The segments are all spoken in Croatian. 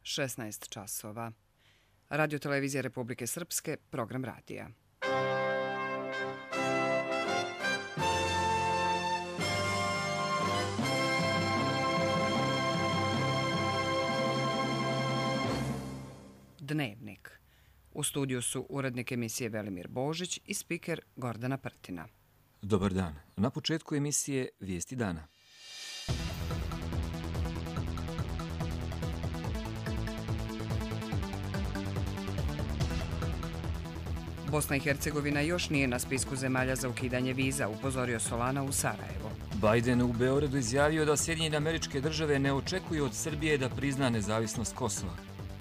16 časova. Radio Televizija Republike Srpske, program radija. Dnevnik. U studiju su urednik emisije Velimir Božić i spiker Gordana Prtina. Dobar dan. Na početku emisije Vijesti dana. Bosna i Hercegovina još nije na spisku zemalja za ukidanje viza, upozorio Solana u Sarajevo. Biden u Beogradu izjavio da Sjedinjene Američke Države ne očekuju od Srbije da prizna nezavisnost Kosova.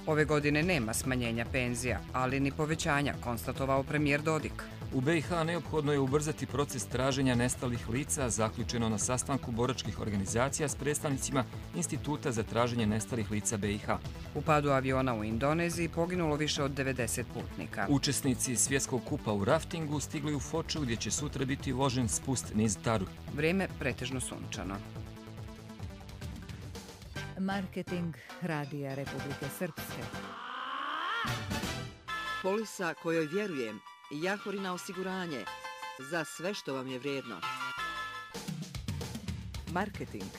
Ove godine nema smanjenja penzija, ali ni povećanja, konstatovao premijer Dodik. U BiH neophodno je ubrzati proces traženja nestalih lica, zaključeno na sastanku boračkih organizacija s predstavnicima Instituta za traženje nestalih lica BiH. U padu aviona u Indoneziji poginulo više od 90 putnika. Učesnici svjetskog kupa u raftingu stigli u Foču gdje će sutra biti vožen spust niz Taru. Vrijeme pretežno sunčano. Marketing Radija Republike Srpske. Polisa kojoj vjerujem, Jahorina osiguranje, za sve što vam je vrijedno. Marketing.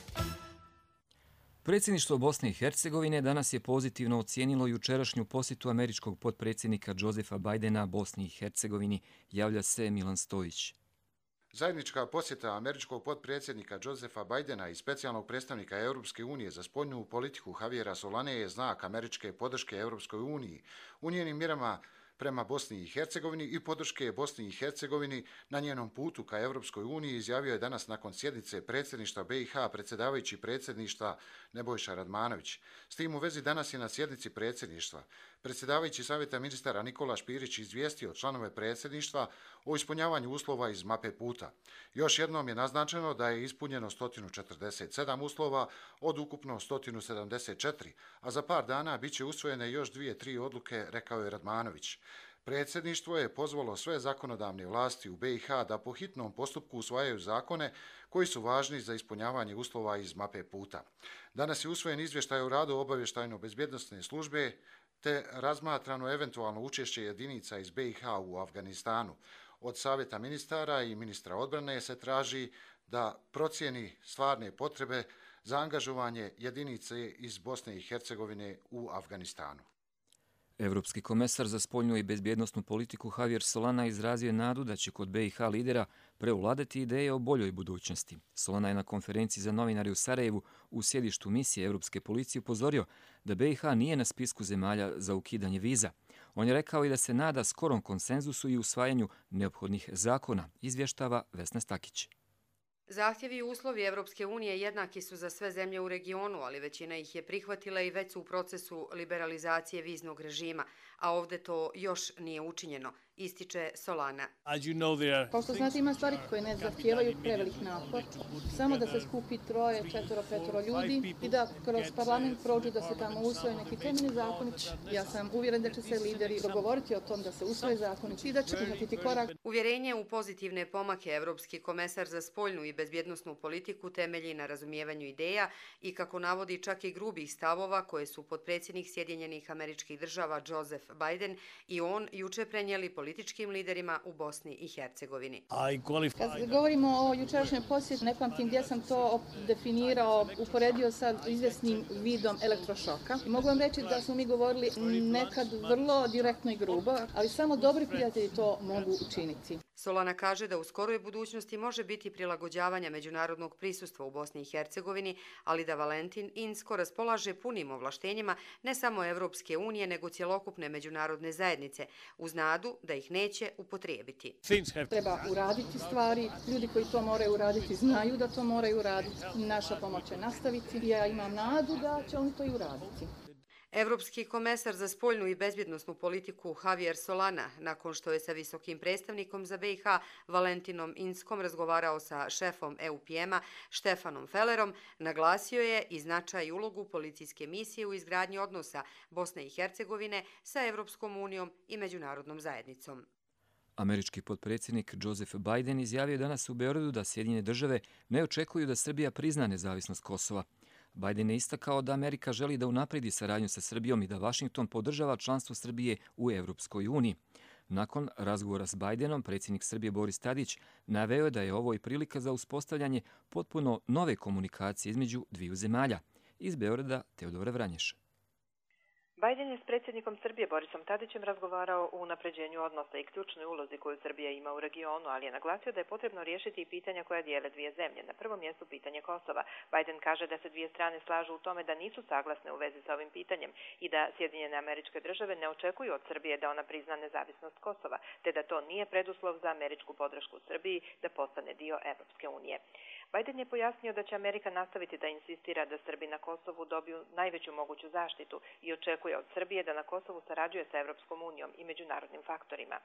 Predsjedništvo Bosne i Hercegovine danas je pozitivno ocijenilo jučerašnju posjetu američkog potpredsjednika Josefa Bidena Bosni i Hercegovini, javlja se Milan Stojić. Zajednička posjeta američkog potpredsjednika Josefa Bidena i specijalnog predstavnika Europske unije za spoljnu politiku Javiera Solane je znak američke podrške Europskoj uniji u njenim mjerama prema Bosni i Hercegovini i podrške Bosni i Hercegovini na njenom putu ka Europskoj uniji, izjavio je danas nakon sjednice predsjedništva BiH predsjedavajući predsjedništva Nebojša Radmanović. S tim u vezi danas je na sjednici predsjedništva predsjedavajući savjeta ministara Nikola Špirić izvijestio članove predsjedništva o ispunjavanju uslova iz mape puta. Još jednom je naznačeno da je ispunjeno 147 uslova od ukupno 174, a za par dana bit će usvojene još 2-3 odluke, rekao je Radmanović. Predsjedništvo je pozvalo sve zakonodavne vlasti u BiH da po hitnom postupku usvajaju zakone koji su važni za ispunjavanje uslova iz mape puta. Danas je usvojen izvještaj o radu obavještajno-bezbjednosne službe te razmatrano eventualno učešće jedinica iz BiH u Afganistanu. Od savjeta ministara i ministra odbrane se traži da procijeni stvarne potrebe za angažovanje jedinice iz Bosne i Hercegovine u Afganistanu. Evropski komesar za spoljnu i bezbjednosnu politiku Javier Solana izrazio je nadu da će kod BiH lidera preovladati ideje o boljoj budućnosti. Solana je na konferenciji za novinare u Sarajevu u sjedištu misije Europske policije upozorio da BiH nije na spisku zemalja za ukidanje viza. On je rekao i da se nada skorom konsenzusu i usvajanju neophodnih zakona, izvještava Vesna Stakić. Zahtjevi i uslovi Evropske unije jednaki su za sve zemlje u regionu, ali većina ih je prihvatila i već su u procesu liberalizacije viznog režima, a ovdje to još nije učinjeno, ističe Solana. Kao što znate, ima stvari koje ne zahtijevaju prevelik napor, samo da se skupi 3, 4, 5 ljudi i da kroz parlament prođu da se tamo usvoje neki temeljni zakoni. Ja sam uvjeren da će se lideri dogovoriti o tom da se usvoje zakoni i da će prihvatiti korak. Uvjerenje u pozitivne pomake Evropski komesar za spoljnu i bezbjednosnu politiku temelji na razumijevanju ideja i, kako navodi, čak i grubih stavova koje su potpredsjednik Sjedinjenih Američkih Država Joseph Biden i on juče prenijeli političkim liderima u Bosni i Hercegovini. Kad govorimo o jučerašnjoj posjeti, ne pamtim gdje sam to definirao, uporedio sa izvjesnim vidom elektrošoka. I mogu vam reći da smo mi govorili nekad vrlo direktno i grubo, ali samo dobri prijatelji to mogu učiniti. Solana kaže da u skoroj budućnosti može biti prilagođavanja međunarodnog prisustva u Bosni i Hercegovini, ali da Valentin Inzko raspolaže punim ovlaštenjima ne samo Evropske unije, nego cjelokupne međunarodne zajednice, uz nadu da ih neće upotrijebiti. Treba uraditi stvari, ljudi koji to moraju uraditi znaju da to moraju uraditi. Naša pomoć će nastaviti i ja imam nadu da će oni to i uraditi. Evropski komesar za spoljnu i bezbjednosnu politiku Javier Solana, nakon što je sa visokim predstavnikom za BiH Valentinom Inzkom razgovarao sa šefom EUPM-a Štefanom Fellerom, naglasio je i značaj i ulogu policijske misije u izgradnji odnosa Bosne i Hercegovine sa Evropskom unijom i međunarodnom zajednicom. Američki potpredsjednik Joseph Biden izjavio danas u Beogradu da Sjedinjene države ne očekuju da Srbija prizna nezavisnost Kosova. Biden je istakao da Amerika želi da unapredi saradnju sa Srbijom i da Vašington podržava članstvo Srbije u Evropskoj uniji. Nakon razgovora s Bidenom, predsjednik Srbije Boris Tadić naveo je da je ovo i prilika za uspostavljanje potpuno nove komunikacije između dviju zemalja. Iz Beograda Teodora Vranješa. Biden je s predsjednikom Srbije Borisom Tadićem razgovarao o unapređenju odnosa i ključnoj ulozi koju Srbija ima u regionu, ali je naglasio da je potrebno riješiti i pitanja koja dijele dvije zemlje. Na prvom mjestu pitanje Kosova. Biden kaže da se dvije strane slažu u tome da nisu saglasne u vezi sa ovim pitanjem i da Sjedinjene Američke Države ne očekuju od Srbije da ona prizna nezavisnost Kosova, te da to nije preduslov za američku podršku Srbiji da postane dio Evropske unije. Biden je pojasnio da će Amerika nastaviti da insistira da Srbi na Kosovu dobiju najveću moguću zaštitu i očekuje od Srbije da na Kosovu sarađuje sa Evropskom unijom i međunarodnim faktorima.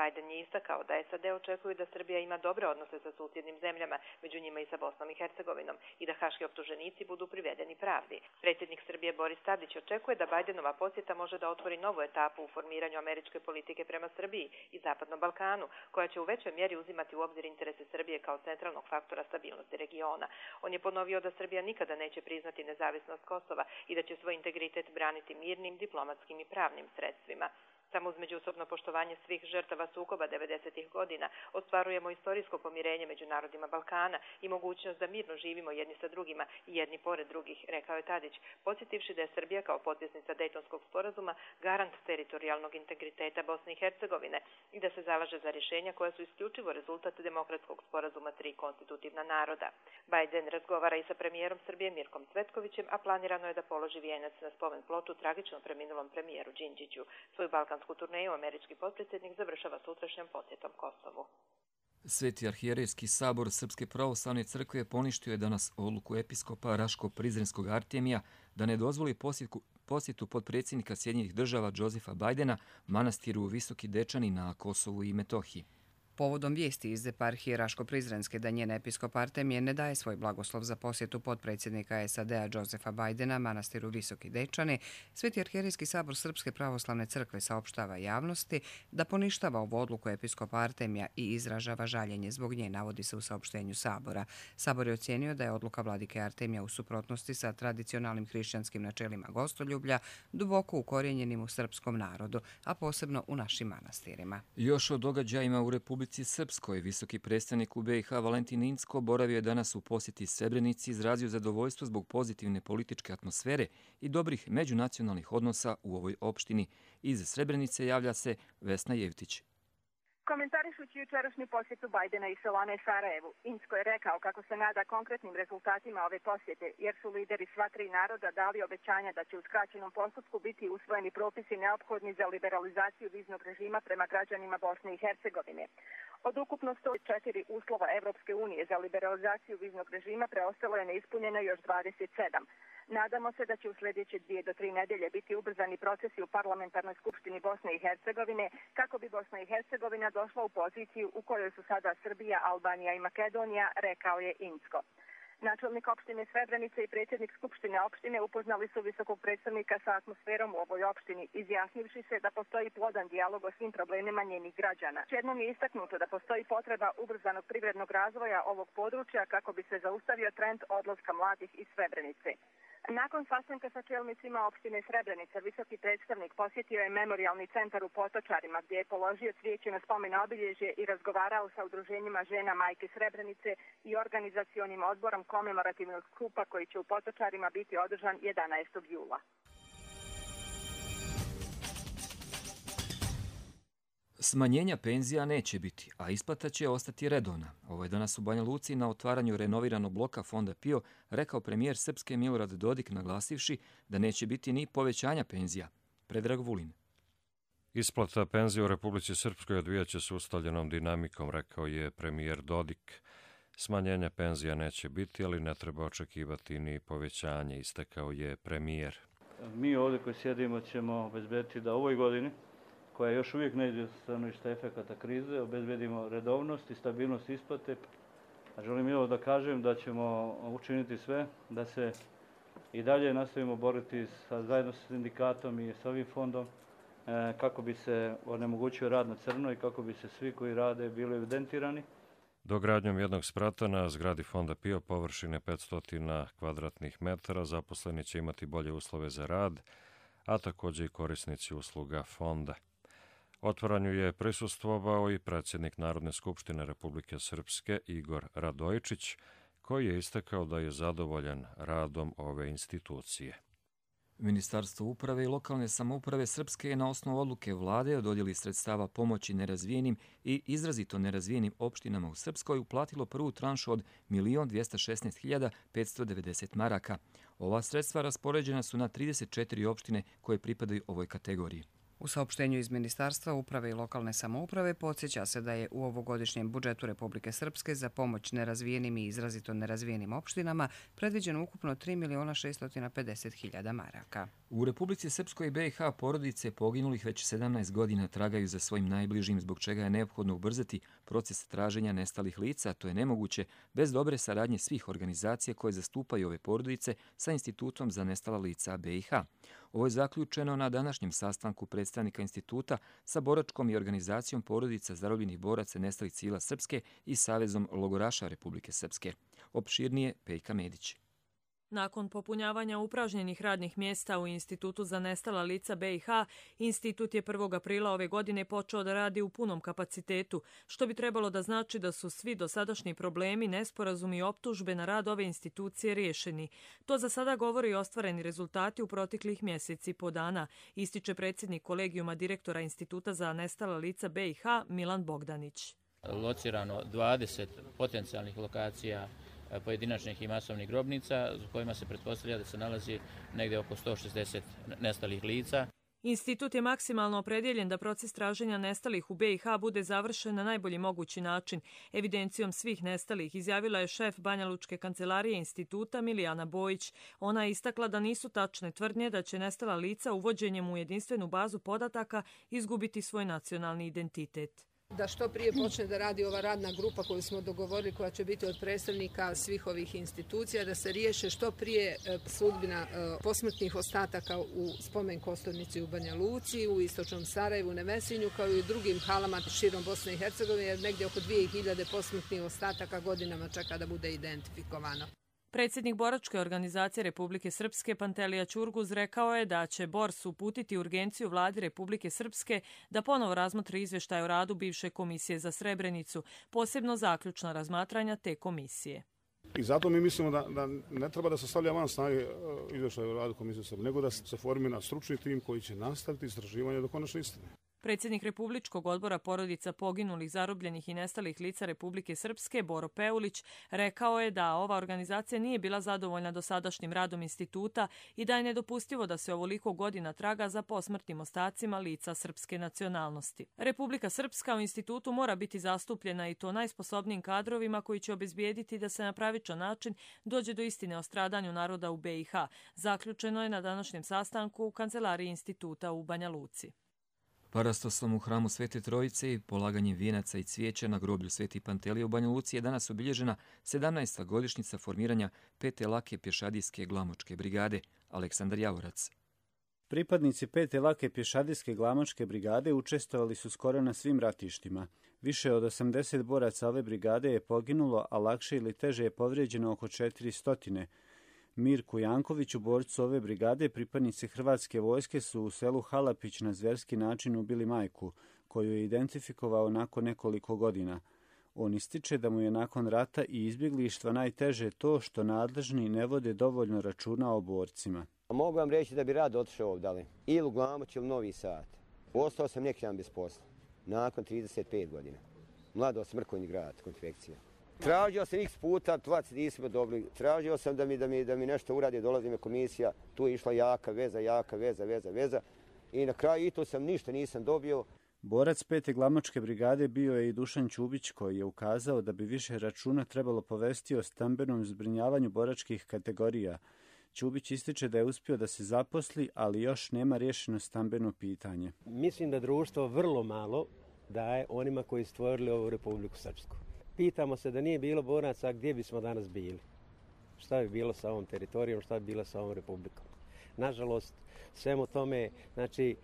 Biden je istakao da SAD očekuju da Srbija ima dobre odnose sa susjednim zemljama, među njima i sa Bosnom i Hercegovinom, i da haški optuženici budu privedeni pravdi. Predsjednik Srbije Boris Tadić očekuje da Bidenova posjeta može da otvori novu etapu u formiranju američke politike prema Srbiji i Zapadnom Balkanu, koja će u većoj mjeri uzimati u obzir interese Srbije kao centralnog faktora stabilnosti regiona. On je ponovio da Srbija nikada neće priznati nezavisnost Kosova i da će svoj integritet braniti mirnim, diplomatskim i pravnim sredstvima. Samo uz međusobno poštovanje svih žrtava sukoba 90. godina ostvarujemo istorijsko pomirenje među narodima Balkana i mogućnost da mirno živimo jedni sa drugima i jedni pored drugih, rekao je Tadić, podsjetivši da je Srbija kao potpisnica Dejtonskog sporazuma garant teritorijalnog integriteta Bosne i Hercegovine i da se zalaže za rješenja koja su isključivo rezultat demokratskog sporazuma tri konstitutivna naroda. Biden razgovara i sa premijerom Srbije Mirkom Cvetkovićem, a planirano je da položi vijenac na spomen ploču tragično preminulom premijeru Đinđiću. Svoju balkansku turneju američki potpredsjednik završava sutrašnjom posjetom Kosovu. Sveti arhijerejski sabor Srpske pravoslavne crkve poništio je danas odluku episkopa Raško-Prizrenskog Artemija da ne dozvoli posjetu potpredsjednika Sjedinjenih Država Josefa Bidena manastiru Visoki Dečani na Kosovu i Metohiji. Povodom vijesti iz eparhije Raško-Prizrenske da njen episkop Artemije ne daje svoj blagoslov za posjetu potpredsjednika SAD-a Josefa Bidena manastiru Visoki Dečani, Sveti arhijerejski sabor Srpske pravoslavne crkve saopštava javnosti da poništava ovu odluku episkopa Artemija i izražava žaljenje zbog nje, navodi se u saopštenju sabora. Sabor je ocijenio da je odluka vladike Artemija u suprotnosti sa tradicionalnim hrišćanskim načelima gostoljublja, duboko ukorijenjenim u srpskom narodu, a posebno u našim manastirima. Još o događajima u Republici Srpskoj, visoki predstavnik u BiH Valentin Incko boravio je danas u posjeti Srebrenici, izrazio zadovoljstvo zbog pozitivne političke atmosfere i dobrih međunacionalnih odnosa u ovoj opštini. Iz Srebrenice javlja se Vesna Jevtić. Komentarišući jučerašnju posjetu Bajdena i Solane Sarajevu, Incko je rekao kako se nada konkretnim rezultatima ove posjete, jer su lideri sva tri naroda dali obećanja da će u skraćenom postupku biti usvojeni propisi neophodni za liberalizaciju viznog režima prema građanima Bosne i Hercegovine. Od ukupno 104 uslova Evropske unije za liberalizaciju viznog režima preostalo je neispunjeno još 27. Nadamo se da će u sljedeće 2 do 3 nedelje biti ubrzani procesi u parlamentarnoj skupštini Bosne i Hercegovine kako bi Bosna i Hercegovina došla u poziciju u kojoj su sada Srbija, Albanija i Makedonija, rekao je Incko. Načelnik opštine Srebrenice i predsjednik skupštine opštine upoznali su visokog predstavnika sa atmosferom u ovoj opštini, izjasnivši se da postoji plodan dijalog o svim problemima njenih građana. Jednom je istaknuto da postoji potreba ubrzanog privrednog razvoja ovog područja kako bi se zaustavio trend odlaska mladih iz Srebrenice. Nakon sastanka sa čelnicima opštine Srebrenica, visoki predstavnik posjetio je memorijalni centar u Potočarima gdje je položio cvijeće na spomen obilježje i razgovarao sa udruženjima žena Majke Srebrenice i organizacionim odborom komemorativnog skupa koji će u Potočarima biti održan 11. jula. Smanjenja penzija neće biti, a isplata će ostati redovna. Ovo je danas u Banja Luci na otvaranju renoviranog bloka Fonda PIO rekao premijer Srpske Milorad Dodik, naglasivši da neće biti ni povećanja penzija. Predrag Vulin. Isplata penzija u Republici Srpskoj odvijaće se ustaljenom dinamikom, rekao je premijer Dodik. Smanjenja penzija neće biti, ali ne treba očekivati ni povećanje, istakao je premijer. Mi ovdje koji sjedimo ćemo obezbediti da ovoj godini, koja još uvijek ne ide stanovišta efekata krize, obezbedimo redovnost i stabilnost isplate. A želim i ovo da kažem da ćemo učiniti sve da se i dalje nastavimo boriti zajedno sa sindikatom i sa ovim fondom kako bi se onemogućio rad na crno i kako bi se svi koji rade bili evidentirani. Dogradnjom jednog sprata na zgradi Fonda PIO površine 500 kvadratnih metara zaposleni će imati bolje uslove za rad, a također i korisnici usluga fonda. Otvaranju je prisustvovao i predsjednik Narodne skupštine Republike Srpske Igor Radojičić, koji je istakao da je zadovoljan radom ove institucije. Ministarstvo uprave i lokalne samouprave Srpske je na osnovu odluke vlade o dodjeli sredstava pomoći nerazvijenim i izrazito nerazvijenim opštinama u Srpskoj uplatilo prvu tranšu od 1.216.590 maraka. Ova sredstva raspoređena su na 34 opštine koje pripadaju ovoj kategoriji. U saopštenju iz Ministarstva uprave i lokalne samouprave podsjeća se da je u ovogodišnjem budžetu Republike Srpske za pomoć nerazvijenim i izrazito nerazvijenim opštinama predviđeno ukupno 3.650.000 maraka. U Republici Srpskoj i BiH porodice poginulih već 17 godina tragaju za svojim najbližim, zbog čega je neophodno ubrzati proces traženja nestalih lica. To je nemoguće bez dobre saradnje svih organizacija koje zastupaju ove porodice sa Institutom za nestala lica BiH. Ovo je zaključeno na današnjem sastanku predstavnika instituta sa boračkom i organizacijom porodica zarobljenih boraca nestalih civila Srpske i Savezom logoraša Republike Srpske. Opširnije Pejka Medić. Nakon popunjavanja upražnjenih radnih mjesta u Institutu za nestala lica BiH, institut je 1. aprila ove godine počeo da radi u punom kapacitetu, što bi trebalo da znači da su svi dosadašnji problemi, nesporazumi i optužbe na rad ove institucije riješeni. To za sada govori i ostvareni rezultati u proteklih mjeseci i po dana, ističe predsjednik kolegijuma direktora Instituta za nestala lica BiH Milan Bogdanić. Locirano 20 potencijalnih lokacija pojedinačnih i masovnih grobnica, u kojima se pretpostavlja da se nalazi negdje oko 160 nestalih lica. Institut je maksimalno opredjeljen da proces traženja nestalih u BiH bude završen na najbolji mogući način. Evidencijom svih nestalih izjavila je šef Banja Lučke kancelarije instituta Milijana Bojić. Ona je istakla da nisu tačne tvrdnje da će nestala lica uvođenjem u jedinstvenu bazu podataka izgubiti svoj nacionalni identitet. Da što prije počne da radi ova radna grupa koju smo dogovorili, koja će biti od predstavnika svih ovih institucija, da se riješe što prije sudbina posmrtnih ostataka u spomen kosturnici u Banja Luci, u istočnom Sarajevu, Nevesinju, kao i u drugim halama širom Bosne i Hercegovine, jer negdje oko 2000 posmrtnih ostataka godinama čeka da bude identifikovano. Predsjednik boračke organizacije Republike Srpske Pantelija Ćurguz rekao je da će BORS uputiti urgenciju vladi Republike Srpske da ponovo razmotri izvještaj o radu bivše komisije za Srebrenicu, posebno zaključna razmatranja te komisije. I zato mi mislimo da ne treba da se stavlja van snage izvještaj o radu komisije za Srebrenicu, nego da se formira stručni tim koji će nastaviti istraživanje do konačne istine. Predsjednik Republičkog odbora porodica poginulih, zarobljenih i nestalih lica Republike Srpske, Boro Peulić, rekao je da ova organizacija nije bila zadovoljna dosadašnjim radom instituta i da je nedopustivo da se ovoliko godina traga za posmrtnim ostacima lica srpske nacionalnosti. Republika Srpska u institutu mora biti zastupljena i to najsposobnijim kadrovima koji će obezbijediti da se na pravičan način dođe do istine o stradanju naroda u BiH. Zaključeno je na današnjem sastanku u kancelariji instituta u Banja Luci. Parastoslom u hramu Svete Trojice i polaganjem vijenaca i cvijeća na groblju Sveti Pantelije u Banja Luci je danas obilježena 17. godišnjica formiranja 5. lake pješadijske glamočke brigade. Aleksandar Javorac. Pripadnici 5. lake pješadijske glamočke brigade učestvovali su skoro na svim ratištima. Više od 80 boraca ove brigade je poginulo, a lakše ili teže je povrijeđeno oko 400. Mirku Jankoviću, borcu ove brigade, pripadnici Hrvatske vojske su u selu Halapić na zverski način ubili majku, koju je identifikovao nakon nekoliko godina. On ističe da mu je nakon rata i izbjeglištva najteže to što nadležni ne vode dovoljno računa o borcima. Mogu vam reći da bi rado otišao ovdje, ili u Glamoč ili Novi Sad. Ostao sam neki dan bez posla, nakon 35 godina. Mladost, Mrkonji grad, konfekcija. Tražio sam x puta, plac nismo dobili. Tražio sam da mi nešto uradi, dolazi me komisija, tu je išla jaka veza. I na kraju i to sam ništa nisam dobio. Borac 5. glamočke brigade bio je i Dušan Ćubić, koji je ukazao da bi više računa trebalo povesti o stambenom zbrinjavanju boračkih kategorija. Ćubić ističe da je uspio da se zaposli, ali još nema riješeno stambeno pitanje. Mislim da društvo vrlo malo daje onima koji stvorili ovu Republiku Srpsku. Pitamo se da nije bilo boraca, gdje bismo danas bili? Šta bi bilo sa ovom teritorijom, šta bi bilo sa ovom republikom? Nažalost, svemu tome, znači,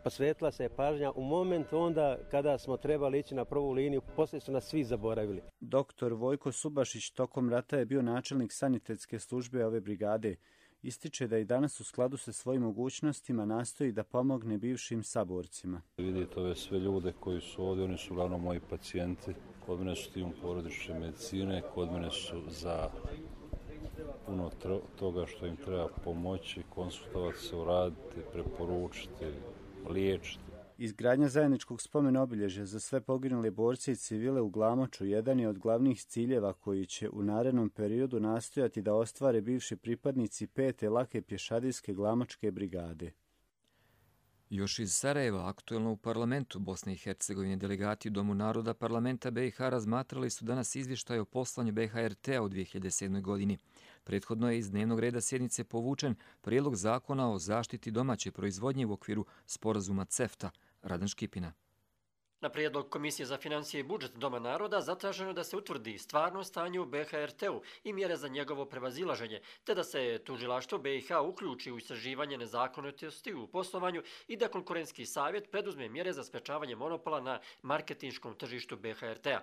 posvetila se pažnja u moment onda kada smo trebali ići na prvu liniju, poslije su nas svi zaboravili. Doktor Vojko Subašić tokom rata je bio načelnik sanitetske službe ove brigade. Ističe da i danas u skladu sa svojim mogućnostima nastoji da pomogne bivšim saborcima. Vidite ove sve ljude koji su ovdje, oni su uglavnom moji pacijenti. Kod mene su tim porodične medicine, kod mene su za puno toga što im treba pomoći, konsultovati se, uraditi, preporučiti, liječiti. Izgradnja zajedničkog spomena obilježja za sve poginule borce i civile u Glamoču jedan je od glavnih ciljeva koji će u narednom periodu nastojati da ostvare bivši pripadnici 5. lake pješadijske Glamočke brigade. Još iz Sarajeva, aktuelno u parlamentu Bosne i Hercegovine, delegati u Domu naroda parlamenta BiH razmatrali su danas izvještaj o poslanju BiH-RT-a u 2007. godini. Prethodno je iz dnevnog reda sjednice povučen prijedlog zakona o zaštiti domaće proizvodnje u okviru sporazuma CEFTA. Radan Škipina. Na prijedlog Komisije za financije i budžet Doma naroda zatraženo da se utvrdi stvarno stanje u BiH-RT-u i mjere za njegovo prevazilaženje, te da se tužilaštvo BiH uključi u istraživanje nezakonitosti u poslovanju i da konkurentski savjet preduzme mjere za sprečavanje monopola na marketinškom tržištu BiH-RT-a.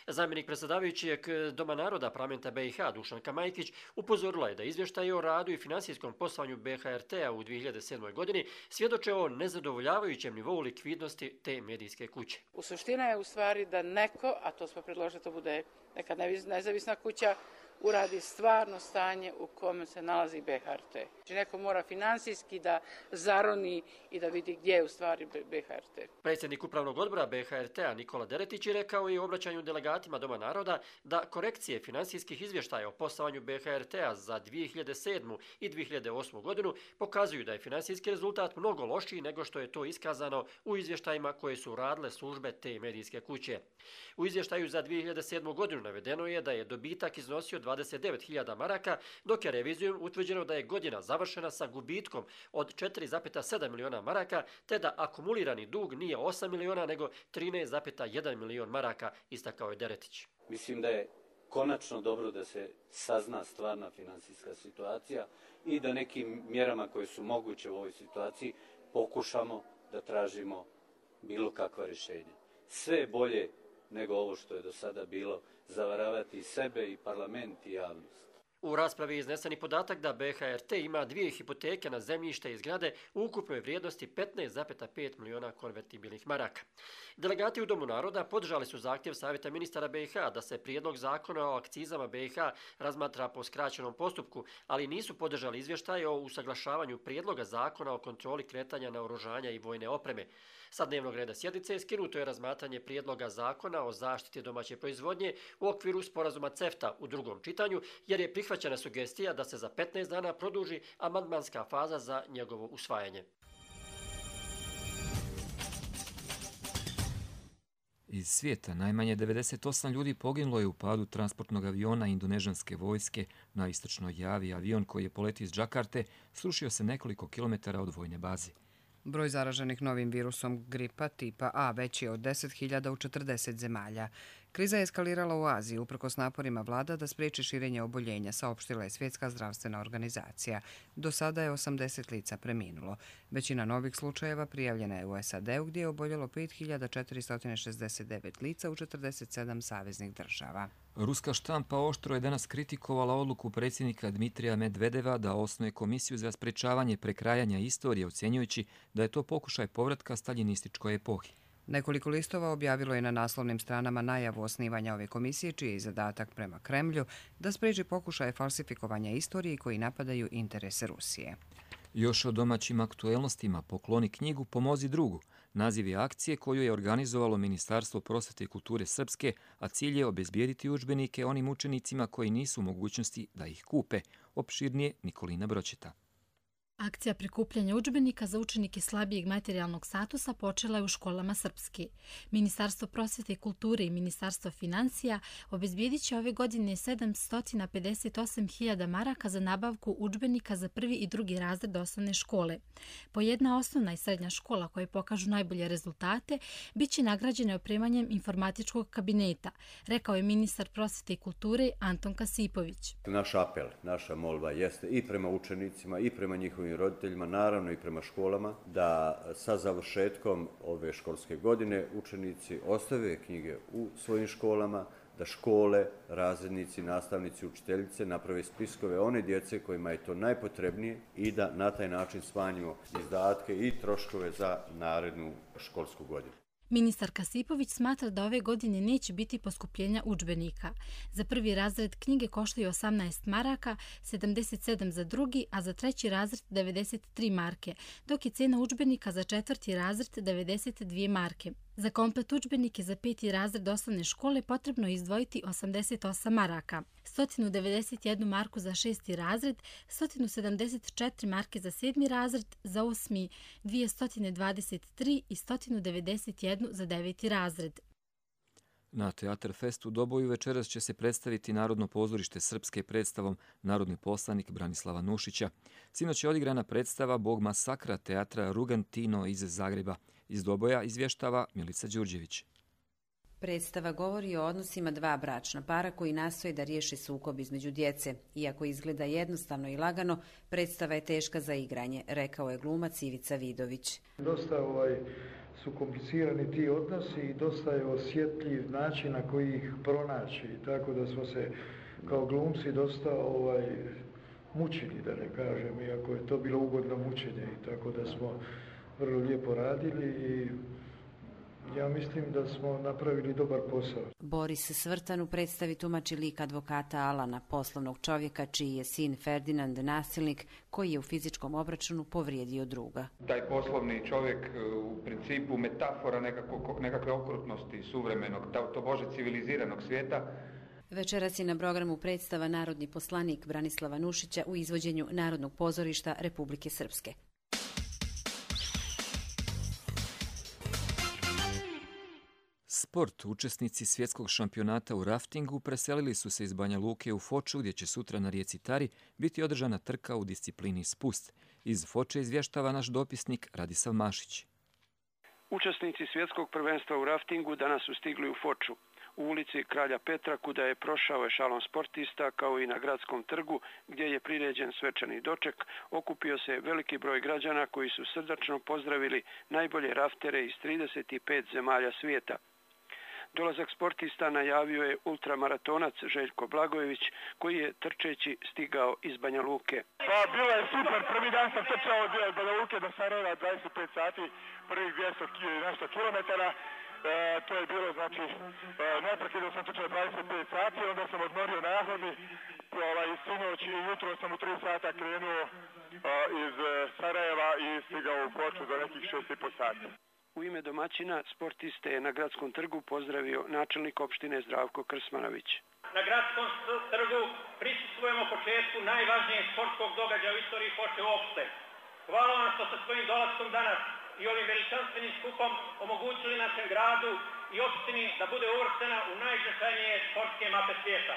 Zamjenik predsjedavajućeg Doma naroda parlamenta BiH Dušanka Majkić upozorila je da izvještaj o radu i finansijskom poslovanju BiH-RT-a u 2007. godini svjedoče o nezadovoljavajućem nivou likvidnosti te medijske kuće. U suština je u stvari da neko, a to smo predložili, to bude neka nezavisna kuća, uradi stvarno stanje u kome se nalazi BiH-RT. Znači neko mora finansijski da zaroni i da vidi gdje je u stvari BiH-RT. Predsjednik upravnog odbora BiH-RT-a Nikola Deretić je rekao i u obraćanju delegatima Doma naroda da korekcije finansijskih izvještaja o poslovanju BiH-RT-a za 2007. i 2008. godinu pokazuju da je finansijski rezultat mnogo lošiji nego što je to iskazano u izvještajima koje su radile službe te medijske kuće. U izvještaju za 2007. godinu navedeno je da je dobitak iznosio 29.000 maraka, dok je revizijom utvrđeno da je godina završena sa gubitkom od 4,7 miliona maraka, te da akumulirani dug nije 8 miliona nego 13,1 milion maraka, istakao je Deretić. Mislim da je konačno dobro da se sazna stvarna finansijska situacija i da nekim mjerama koje su moguće u ovoj situaciji pokušamo da tražimo bilo kakva rješenja. Sve je bolje nego ovo što je do sada bilo, zavaravati i sebe i parlament i javnost. U raspravi je iznesen podatak da BiH-RT ima 2 hipoteke na zemljište i zgrade u ukupnoj vrijednosti 15,5 miliona konvertibilnih maraka. Delegati u Domu naroda podržali su zahtjev Savjeta ministara BiH da se prijedlog zakona o akcizama BiH razmatra po skraćenom postupku, ali nisu podržali izvještaj o usaglašavanju prijedloga zakona o kontroli kretanja naoružanja i vojne opreme. Sa dnevnog reda sjednice skinuto je razmatranje prijedloga zakona o zaštiti domaće proizvodnje u okviru sporazuma CEFTA u drugom čitanju, jer je prihvaćena sugestija da se za 15 dana produži amandmanska faza za njegovo usvajanje. Iz svijeta najmanje 98 ljudi poginulo je u padu transportnog aviona indonežanske vojske na istočnoj Javi. Avion koji je poletio iz Džakarte srušio se nekoliko kilometara od vojne baze. Broj zaraženih novim virusom gripa tipa A veći je od 10.000 u 40 zemalja. Kriza je eskalirala u Aziji uprkos naporima vlada da spriječi širenje oboljenja, saopštila je Svjetska zdravstvena organizacija. Do sada je 80 lica preminulo. Većina novih slučajeva prijavljena je u SAD-u gdje je oboljelo 5.469 lica u 47 saveznih država. Ruska štampa oštro je danas kritikovala odluku predsjednika Dmitrija Medvedeva da osnuje komisiju za sprečavanje prekrajanja istorije, ocjenjujući da je to pokušaj povratka staljinističkoj epohi. Nekoliko listova objavilo je na naslovnim stranama najavu osnivanja ove komisije, čiji je zadatak prema Kremlju da spriječi pokušaje falsifikovanja istorije koji napadaju interese Rusije. Još o domaćim aktuelnostima pokloni knjigu Pomozi drugu. Naziv je akcije koju je organizovalo Ministarstvo prosvjete i kulture Srpske, a cilj je obezbijediti udžbenike onim učenicima koji nisu u mogućnosti da ih kupe. Opširnije Nikolina Bročeta. Akcija prikupljanja udžbenika za učenike slabijeg materijalnog statusa počela je u školama Srpske. Ministarstvo prosvjete i kulture i Ministarstvo financija obezbijedit će ove godine 758.000 maraka za nabavku udžbenika za prvi i drugi razred osnovne škole. Po jedna osnovna i srednja škola koje pokažu najbolje rezultate bit će nagrađene opremanjem informatičkog kabineta, rekao je ministar prosvjete i kulture Anton Kasipović. Naš apel, naša molba jeste i prema učenicima i prema njihovim njihovim roditeljima, naravno i prema školama, da sa završetkom ove školske godine učenici ostave knjige u svojim školama, da škole, razrednici, nastavnici, učiteljice naprave spiskove one djece kojima je to najpotrebnije i da na taj način smanjimo izdatke i troškove za narednu školsku godinu. Ministar Kasipović smatra da ove godine neće biti poskupljenja udžbenika. Za prvi razred knjige koštaju 18 maraka, 77 za drugi, a za treći razred 93 marke, dok je cena udžbenika za četvrti razred 92 marke. Za komplet udžbenike za 5. razred osnovne škole potrebno je izdvojiti 88 maraka, 191 marku za 6. razred, 174 marke za 7. razred, za 8. 223 i 191 za 9. razred. Na Teatar Fest u Doboju večeras će se predstaviti Narodno pozorište Srpske predstavom Narodni poslanik Branislava Nušića. Sinoć je odigrana predstava Bog masakra teatra Rugantino iz Zagreba. Iz Doboja izvještava Milica Đurđević. Predstava govori o odnosima dva bračna para koji nastoje da riješe sukob između djece. Iako izgleda jednostavno i lagano, predstava je teška za igranje, rekao je glumac Ivica Vidović. Dosta su komplicirani ti odnosi i dosta je osjetljiv način na koji ih pronaći. Tako da smo se kao glumci dosta mučili, da ne kažem, iako je to bilo ugodno mučenje. Tako da smo vrlo lijepo radili i ja mislim da smo napravili dobar posao. Boris Svrtan u predstavi tumači lik advokata Alana, poslovnog čovjeka čiji je sin Ferdinand nasilnik koji je u fizičkom obračunu povrijedio druga. Taj poslovni čovjek u principu metafora nekakve okrutnosti suvremenog, to bože civiliziranog svijeta. Večeras je na programu predstava Narodni poslanik Branislava Nušića u izvođenju Narodnog pozorišta Republike Srpske. Sport. Učesnici svjetskog šampionata u raftingu preselili su se iz Banja Luke u Foču, gdje će sutra na rijeci Tari biti održana trka u disciplini spust. Iz Foče izvještava naš dopisnik Radisav Mašić. Učesnici svjetskog prvenstva u raftingu danas su stigli u Foču. U ulici Kralja Petra, kuda je prošao ešalon sportista, kao i na gradskom trgu, gdje je priređen svečani doček, okupio se veliki broj građana koji su srdačno pozdravili najbolje raftere iz 35 zemalja svijeta. Dolazak sportista najavio je ultramaratonac Željko Blagojević, koji je trčeći stigao iz Banja Luke. Pa bilo je super, prvi dan sam trčao od Banja Luke do Sarajeva 25 sati, prvih 200 nešto kilometara. To je bilo, znači, neprekidno sam trčao 25 sati, onda sam odmorio nahodi, sinoć i jutro sam u 3 sata krenuo iz Sarajeva i stigao u Foču za nekih 6,5 sati. U ime domaćina sportiste je na gradskom trgu pozdravio načelnik opštine Zdravko Krsmanović. Na gradskom trgu prisustvujemo početku najvažnijeg sportskog događaja u istoriji Foče uopšte. Hvala vam što sa svojim dolaskom danas i ovim veličanstvenim skupom omogućili našem gradu i opštini da bude uvrštena u najznačajnije sportske mape svijeta.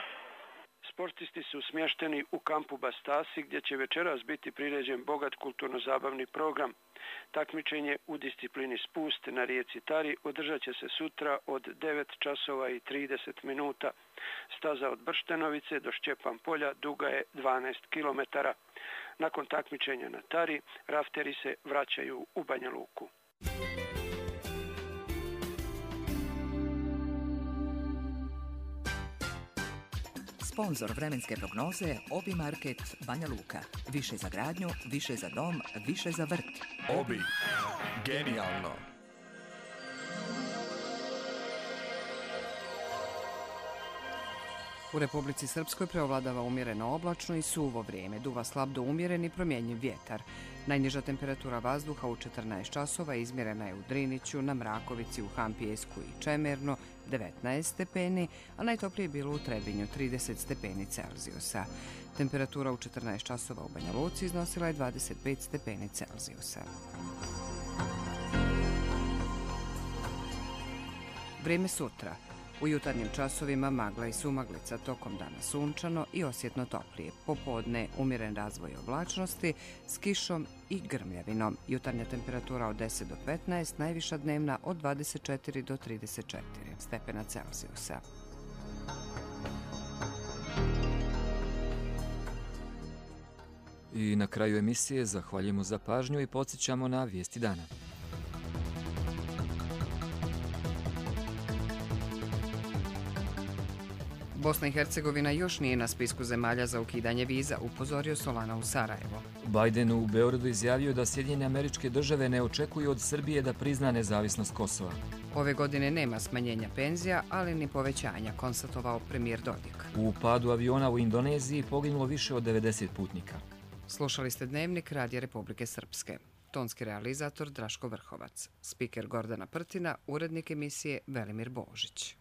Sportisti su smješteni u kampu Bastasi, gdje će večeras biti priređen bogat kulturno-zabavni program. Takmičenje u disciplini spust na rijeci Tari održat će se sutra od 9 časova i 30 minuta. Staza od Brštenovice do Šćepan polja duga je 12 kilometara. Nakon takmičenja na Tari, rafteri se vraćaju u Banja Luku. Sponzor vremenske prognoze Obi Market Banja Luka. Više za gradnju, više za dom, više za vrt. Obi. Genijalno. U Republici Srpskoj preovladava umjereno oblačno i suvo vrijeme. Duva slab do umjeren i promjenjiv vjetar. Najniža temperatura vazduha u 14 časova izmjerena je u Driniću, na Mrakovici, u Hampijesku i Čemerno 19 stepeni, a najtoplije je bilo u Trebinju 30 stepeni Celzijusa. Temperatura u 14 časova u Banja Luci iznosila je 25 stepeni Celzijusa. Vrijeme sutra. U jutarnjim časovima magla i sumaglica, tokom dana sunčano i osjetno toplije. Popodne umjeren razvoj oblačnosti s kišom i grmljavinom. Jutarnja temperatura od 10 do 15, najviša dnevna od 24 do 34 stepena Celzijusa. I na kraju emisije zahvaljujemo za pažnju i podsjećamo na vijesti dana. Bosna i Hercegovina još nije na spisku zemalja za ukidanje viza, upozorio Solana u Sarajevo. Biden u Beogradu izjavio da Sjedinjene Američke Države ne očekuju od Srbije da prizna nezavisnost Kosova. Ove godine nema smanjenja penzija, ali ni povećanja, konstatovao premijer Dodik. U padu aviona u Indoneziji poginulo više od 90 putnika. Slušali ste Dnevnik Radija Republike Srpske. Tonski realizator Draško Vrhovac. Spiker Gordana Prtina, urednik emisije Velimir Božić.